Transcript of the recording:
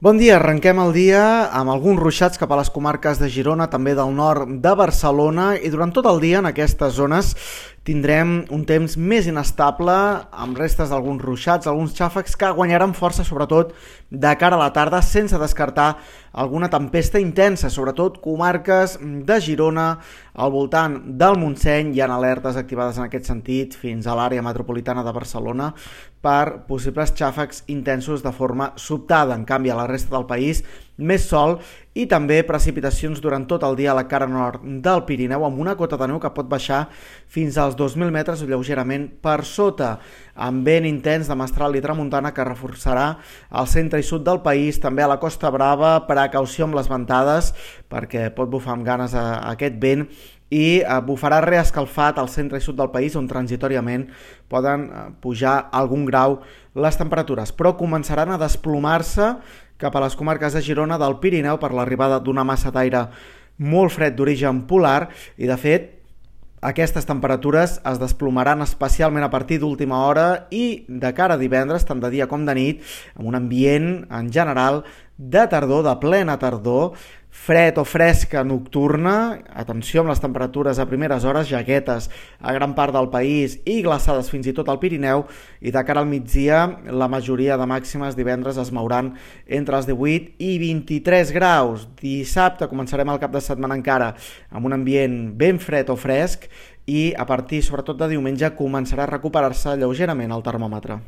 Bon dia, arrenquem el dia amb alguns ruixats cap a les comarques de Girona, també del nord de Barcelona, i durant tot el dia en aquestes zones tindrem un temps més inestable, amb restes d'alguns ruixats, alguns xàfecs que guanyaran força, sobretot de cara a la tarda, sense descartar alguna tempesta intensa, sobretot comarques de Girona, al voltant del Montseny. Hi ha alertes activades en aquest sentit fins a l'àrea metropolitana de Barcelona per possibles xàfecs intensos de forma sobtada. En canvi, a la resta del país, més sol i també precipitacions durant tot el dia a la cara nord del Pirineu, amb una cota de neu que pot baixar fins als 2.000 metres o lleugerament per sota, amb vent intens de mestral i tramuntana que reforçarà al centre i sud del país, també a la Costa Brava. Precaució amb les ventades perquè pot bufar amb ganes aquest vent, i bufarà reescalfat al centre i sud del país, on transitoriament poden pujar algun grau les temperatures, però començaran a desplomar-se cap a les comarques de Girona, del Pirineu, per l'arribada d'una massa d'aire molt fred d'origen polar, i de fet aquestes temperatures es desplomaran especialment a partir d'última hora i de cara a divendres, tant de dia com de nit, amb un ambient en general de tardor, de plena tardor, fred o fresca nocturna. Atenció amb les temperatures a primeres hores, jaquetes a gran part del país i glaçades fins i tot al Pirineu, i de cara al migdia la majoria de màximes divendres es mouran entre els 18 i 23 graus. Dissabte començarem el cap de setmana encara amb un ambient ben fred o fresc, i a partir sobretot de diumenge començarà a recuperar-se lleugerament el termòmetre.